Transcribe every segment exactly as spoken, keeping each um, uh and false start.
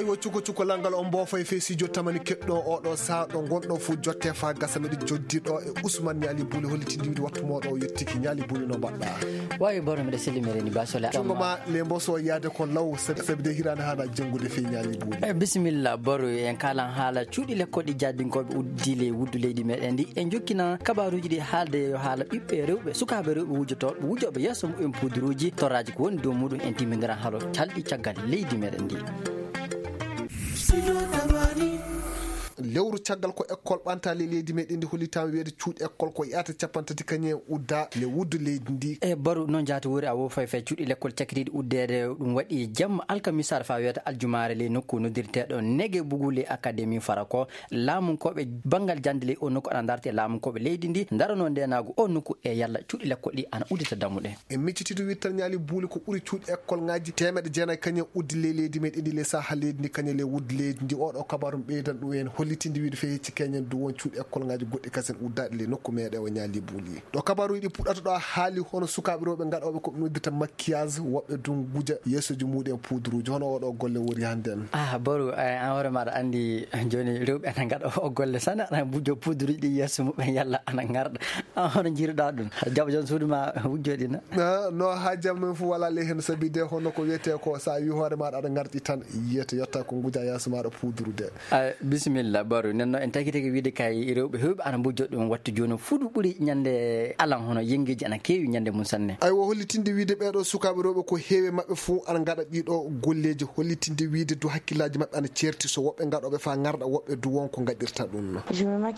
Aywa, cuko cuko langal on mboofo e fesijo tamani keɗɗo oɗo saa ɗo gonɗo fu jotte fa gasa meɗe joddi ɗo e Usman Ñaali Buli hollitindi wiide wattu moɗo o yettiki. Ñaali Buli, no mbaɗɗa? Wawi boro, mbiɗa selli meɗen ni ba sole. Cungo ma le mboso yaade ko law sabi, sabi de hirana haala janngude fey Ñaali Buli. Eh, bisimilla boro, en kalan haala cuuɗi lekkol ɗi jaadinkoɓe uddi le wuddu leydi meɗen ndi. En jokkina kabaruji ɗi haalde yo haala ɓiɓɓe rewɓe, sukaɓe rewɓe wujotooɓe, wujooɓe yeeso muɓɓen puuduruji, torraji ko woni dow muɗum, en timmindiran haalo calɗi caggal leydi meɗen ndi. Lewru caggal ko école ɓantali leydi meɗen ndi hollitama wiyeede cuuɗi école ko yahata capanɗe tati kañum en udda le wuddu leydi ndi. E baru noon jaati wori a wo fay fay cuuɗi lekkol cakkitiiɗi uddeede ɗum waɗi jamma alkamisaare fa wiyata aljumaare ley nokku noddirteeɗo Nege Bugu ley Académie Farako. Laamunkoɓe banngal jannde ley o nokku ana ndarte laamunkoɓe leydi ndi ndaranoo ndeenaagu o nokku e yalla cuuɗi lekkol ɗi ana uddita dammuɗe. E miccitiiɗo wittal Ñaali Buuli ko ɓuri cuuɗi école ŋaaji teemeɗɗe jeenayi kañum uddi ley leydi meɗen ndi ley saha leydi ndi kañum ley wuddi leydi ndi. Oɗo kabaru ɓeydan ɗum en hollitinde wiide fey hecci keñen du won cuuɗi école ŋaaji goɗɗi kasen uddaaɗi ley nokku meɗen o Ñaali Buuli. Ɗo kabaruuji ɗi puɗɗata ɗo a haali hono sukaaɓe rewɓe ngaɗooɓe ko ɓe noddirta maquillage, woɓɓe du nguja yeesoji muɗum en puuduruuji. Hono oɗo golle wori hannde en? Ah, Boru, eh, an hoore maɗa anndi jooni rewɓe ana ngaɗa o golle sana, ana bujo puuduruuji ɗi yeeso muɓɓen yalla ana ngarɗa. An hono njiruɗa ɗum? Jaba joon suudu ma wujjoɗina? Ah, no ha jam men fu wala ley hen sabi de hono ko wiyete ko sa wi hoore maɗa aɗa ngarɗi tan yiyete yetta ko nguja yeeso maɗa puudurude. Ay, bisimilla, Baru. Nden noon, en tagi tagi wiide kay rewɓe heewɓe ana mbojjo ɗum wattu jooni. Fuɗu ɓuri ñande alan, hono yenngeeji ana keewi ñande mum sanne. Aywa, hollitinde wiide ɓeeɗo sukaaɓe rewɓe ko heewi maɓɓe fof ana ngaɗa ɗiɗo golleeji. Hollitinde wiide du hakkillaaji maɓɓe ana ceerti, so woɓɓe ngaɗooɓe faa ngarɗa, woɓɓe du won ko ngaɗirta ɗum.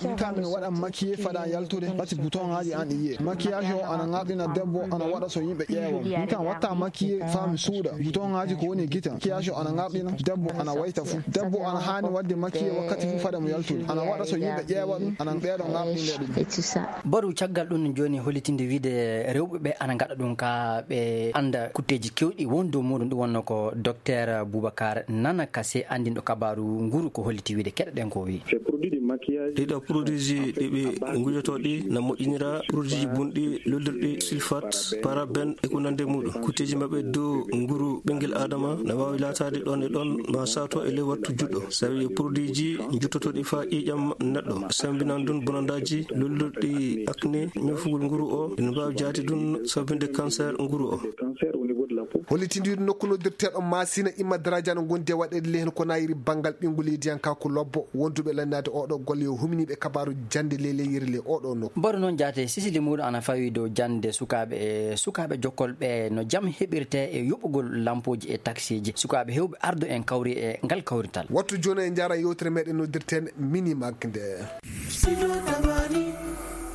Min kam, mi waɗa maquillé fada yaltude, ɓati bouton ŋaaji an iye. Maquillage o ana ŋarɗina debbo, ana waɗa so yimɓe ƴeewa. Min kam, watta maquillé faa mi suuɗa. Bouton ŋaaji ko woni e gite. Maquillage o ana ŋarɗina debbo, ana wayta fu. Debbo ana haani waɗde maquillé wakkati fu fade mo yaltude. Ana waɗa so yimɓe ƴeewa ɗum, ana ɓeeɗo ŋarɗinde ɗum. Baru, caggal ɗum jooni hollitinde wiide rewɓe ɓe ana ngaɗa ɗum ka ɓe annda kutteeji kewɗi won dow muɗum. Ɗum wonno ko Docteur Boubacar Nana Kassé, anndinɗo kabaaru nguru ko holliti wiide keɗoɗen ko wi. Ɗiɗo produit ji ɗi ɓe ngujotoo ɗi na moƴƴinira produit ji bonɗi, lollirɗi sulfate, paraben e ko nandi e muɗum. Kutteeji maɓɓe dow nguru ɓinngel Adama na waawi laataade ɗon e ɗon, ma saato e ley wattu juɗɗo. Sabi produit ji njuttotooɗi faa ƴiiƴam neɗɗo, sambinan ɗum bonandaaji, lollirɗi acné, ñoofugol nguru o, ina mbaawi jaati ɗum sabinde cancer nguru o. Hollitinde wiide nokku noddirteeɗo Masina Imma Daraja no gondi e waɗeede ley heen ko nayiri banngal ɓinngu leydiyankaaku lobbo. Wonduɓe lannaade oɗo golle yo huminiiɓe kabaaru jannde ley leyiri ley oɗo nokku. Mboɗo noon jaate sisili muɗum ana fawi dow jannde sukaaɓe e sukaaɓe jokkolɓe no jam heɓirte e yoɓugol lampooji e taksiiji. Sukaaɓe heewɓe ardo en kawri e ngal kawrital. Wattu jooni en njaara yewtere meɗen noddirten Mini Mag nde.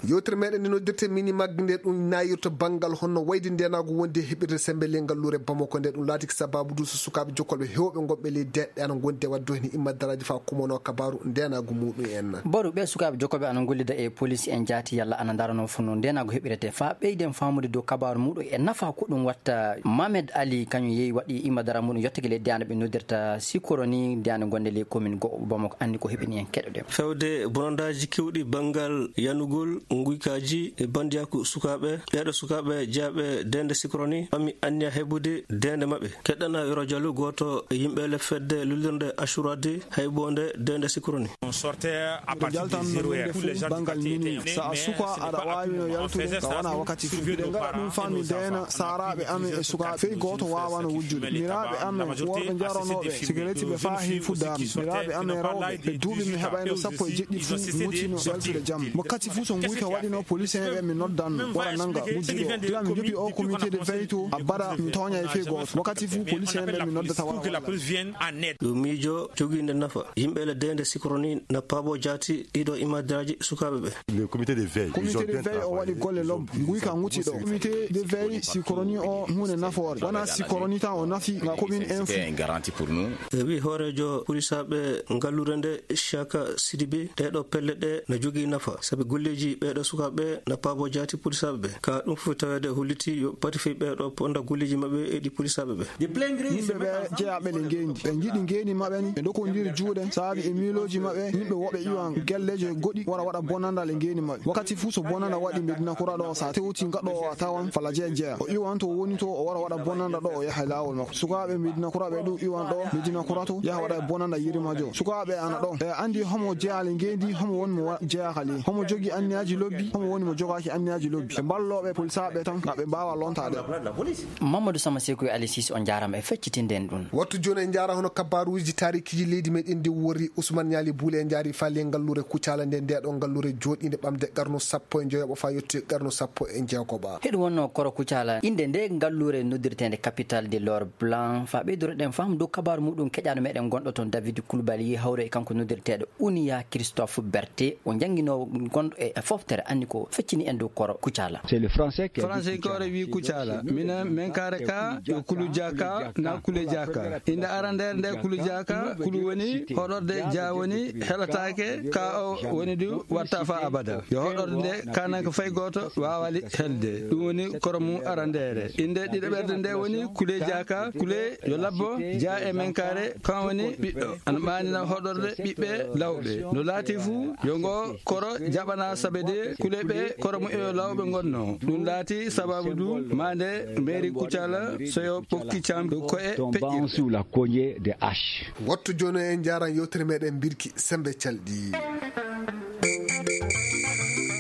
Yewtere meɗen nde noddirten Mini Mag nde ɗum nayirta banngal honno wayde ndenaagu wonde heɓirde sembe ley ngalluure Bamako nde. Ɗum laatiki sababu du so sukaaɓe jokkolɓe heewɓe gonɓe ley deeɗɗe ana gondi e waɗde heen imma daraaji faa kumono kabaaru ndenaagu muɗum en. Boru ɓe sukaaɓe jokkolɓe ana ngollida e police en jaati yalla ana ndarano fof no ndenaagu heɓirete faa ɓeyden faamude dow kabaaru muɗum e nafa ko ɗum watta. Mamed Ali kañum yehi waɗi imma dara muɗum yottake ley deeɗɗe ɓe noddirta Sikoroni, deeɗɗe gonde ley commune go'o Bamako, anndi ko heɓini en keɗoɗen. Fewde bonandaaji kewɗi banngal yanugol nguykaaji e bandiyaaku sukaaɓe. Ɓeeɗo sukaaɓe jeyaaɓe deeɗɗe Sikoroni ɓami anniya heɓude deeɗɗe maɓɓe. Keɗɗana Yoro Diallo, gooto e yimɓe le fedde lullirnde Ashurade hayboonde deeɗɗe Sikoroni. Miɗo jaltano yimɓe fof banngal mini. So a suka, aɗa waawi no yaltude, ka wona wakkati fof. Miɗen ngaɗa ɗum faa mi deena saaraaɓe amen e sukaaɓe. Fey gooto waawano wujjude. Miraaɓe amen, worɓe njaronooɓe sigareti ɓe faa heewi fuddaama. Miraaɓe amen rewɓe, ɓe duuɓi mi heɓayno sappo e jeɗɗi fof, mi wutino yaltude jam. Wakkati fof so nguyka waɗino, police en ɓe mi noddanno, wara nannga wujjude o. Gila mi jokki o comité de veille to, abada mi tooñay fey gooto. Wakkati fof police en ɓe mi noddata wara wallay. Ɗum miijo jogiinde nafa. Yimɓe le deeɗɗe Sikoroni na paabo jaati ɗiɗo imadraaji sukaaɓe ɓe. Le comité de veille, ils ont bien travaillé. Comité de veille o waɗi golle lobbo. Nguyka ŋuti ɗo. Comité de veille Sikoroni o huunde nafoore. Wona Sikoroni tan o nafi nga commune en fof. E wi hooreejo polisaaɓe ngalluure nde, Siaka Sidibe, ɗeeɗo pelle ɗe na jogii nafa, sabi golleeji ɓeeɗo Sukaaɓe na paabo jaati polisaaɓe ɓe. Ka ɗum fof taweede holliti yo pati fii ɓee ɗoo ponda golleeji maɓɓe e ɗi polisaaɓe ɓe. Yimɓe ɓe jeyaaɓe le ngeendi. Ɓe njiɗi ngeendi maɓɓe ni. Ɓe ndokondiri juuɗe. Saabi e miilooji maɓɓe, yimɓe woɓɓe iwan gelleeji goɗɗi wara waɗa bonanda le ngeendi maɓɓe. Wakkati fuu so bonanda waɗi Medina Kura ɗo, so a tewti ngaɗo o a tawan fala jeya jeya. O iwan to woni to o wara waɗa bonanda ɗo o yaha e laawol makko. Sukaaɓe Medina Kura ɓe ɗum iwan ɗo Medina Kura to yaha waɗa e bonanda yirma jo. Sukaaɓe ana ɗo. E andi homo jeyaali ngeendi, homo woni mo wa-, jeyaaka le. Homo jogi anniyaaji lobbi, homo woni mo jogaaki anniyaaji lobbi. Ɓe mballooɓe polisaaɓe tan, ngam ɓe mbaawa lontaade. Mamadou Sama Sekou e Ali Cissé, on njaaraama e feccitinde en ɗum. Wattu jooni en njaara hono kabaruuji taarikiiji leydi meɗen ndi wori Ousmane Niali Boule en njaari faa le ngalluure Kucala nde nde ɗo ngalluure jooɗiinde ɓamde qarnu sappo e njoyoɓo faa yotti qarnu sappo e jeegoɓa. Heɗu wonno koro Kucala. Innde nde ngalluure noddirteende Capitale de l'Or Blanc. Faa ɓeyduroɗen faham dow kabaaru muɗum keƴaano meɗen gonɗo toon David Koulibaly hawre e kanko noddirteeɗo Ounia Christophe Berté. O jannginoowo gonɗo e, e foftere anni ko feccini en dow koro Kucala. C'est le français qui a dit Français Kucala. Koro wi Kucala. Mina men kare ka yo Kulu Jaka na Kule Jaka. Innde arandeere nde Kulu Jaka, Kulu woni hoɗorde, ja woni heɗataake, ka o woni du watta faa abada. Yo hoɗorde nde kananke fay gooto waawali helde. Ɗum woni koro mum arandeere. Innde ɗiɗaɓerde nde woni Kule Jaka, Kule yo labbo, ja e men kare, kan woni ɓiɗɗo. Ana maanina hoɗorde ɓiɓɓe lawɓe. No laati fuu, yo ngo koro jaɓana sabe de Kule ɓe koro muɓɓe yo lawɓe ngonno. Ɗum laati sababu du maande mairie Kucala so yo ɓokki cam koye peƴƴirɗe. Sous la cognée des haches. Wattu jooni en njaaran yewtere meɗen mbirki sembe calɗi.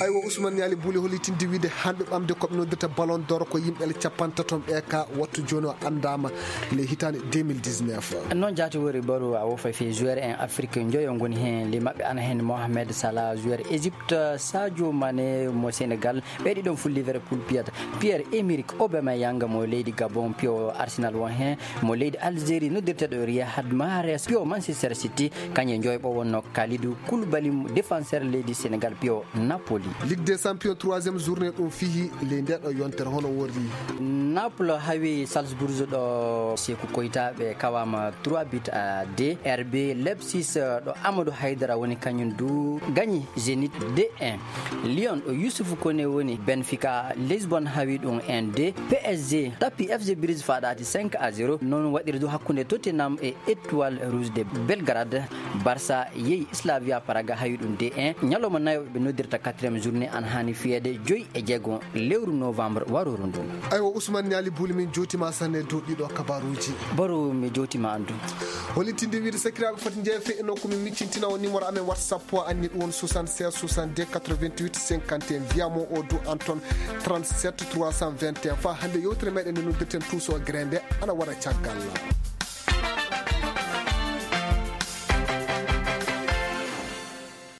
Aywa, Ousmane Niali Boule hollitinde wiide hannde ɓamde ko ɓe noddirta Ballon d'Or ko yimɓe le capantato ɓe ka wattu jooni o anndaama le hitaande deux mille dix-neuf. Noon jaati wori baru a wofay fii joueur en Afrique njoyo ngoni heen, le maɓɓe ana heen Mohamed Salah, joueur Égypte, Sadio Mané mo Sénégal, ɓe ɗiɗon fuu Liverpool piyata. Pierre-Emerick Aubameyang mo leydi Gabon, piyo Arsenal won heen, mo leydi Algérie noddirteeɗo Riyad Mahrez, piyo Manchester City, kañum e njoyɓo wonno Kalidou Koulibaly, défenseur leydi Sénégal, piyo Napoli. Ligue des Champions troisième journée ɗum fihi le nde ɗo yontere hono worri. Naples hawi Salzburg ɗo Sekou Koita ɓe kawama trois buts à deux. R B Leipzig ɗo Amadou Haidara woni kañum du gañi Zenit deux un. Lyon ɗo Youssouf Koné woni Benfica Lisbonne hawi ɗum un deux. P S G tappi F C Bruges faɗaati cinq à zéro. Noon waɗiri du hakkunde Tottenham e Étoile Rouge de Belgrade. Barça yehi Slavia Praga hawi ɗum deux un. Ñalawma nayo ɓe noddirta quatrième journée ana haani fiyeede joyi e jeego lewru novembre warooru ndu. Aywa, Ousmane Niali Boule, min jootima sanne dow ɗiɗo kabaruuji. Baro mi jootima andu. Hollitinde wiide sakiraaɓe foti njeefe e nokku min miccintina o numéro amen WhatsApp o anni ɗum won soixante-seize soixante-deux quatre-vingt-huit cinquante et un, wiyamo o du Anton trente-sept trois cent vingt et un. Fa hannde yewtere meɗen nde noddirten Tuuso Grende ana wara caggal.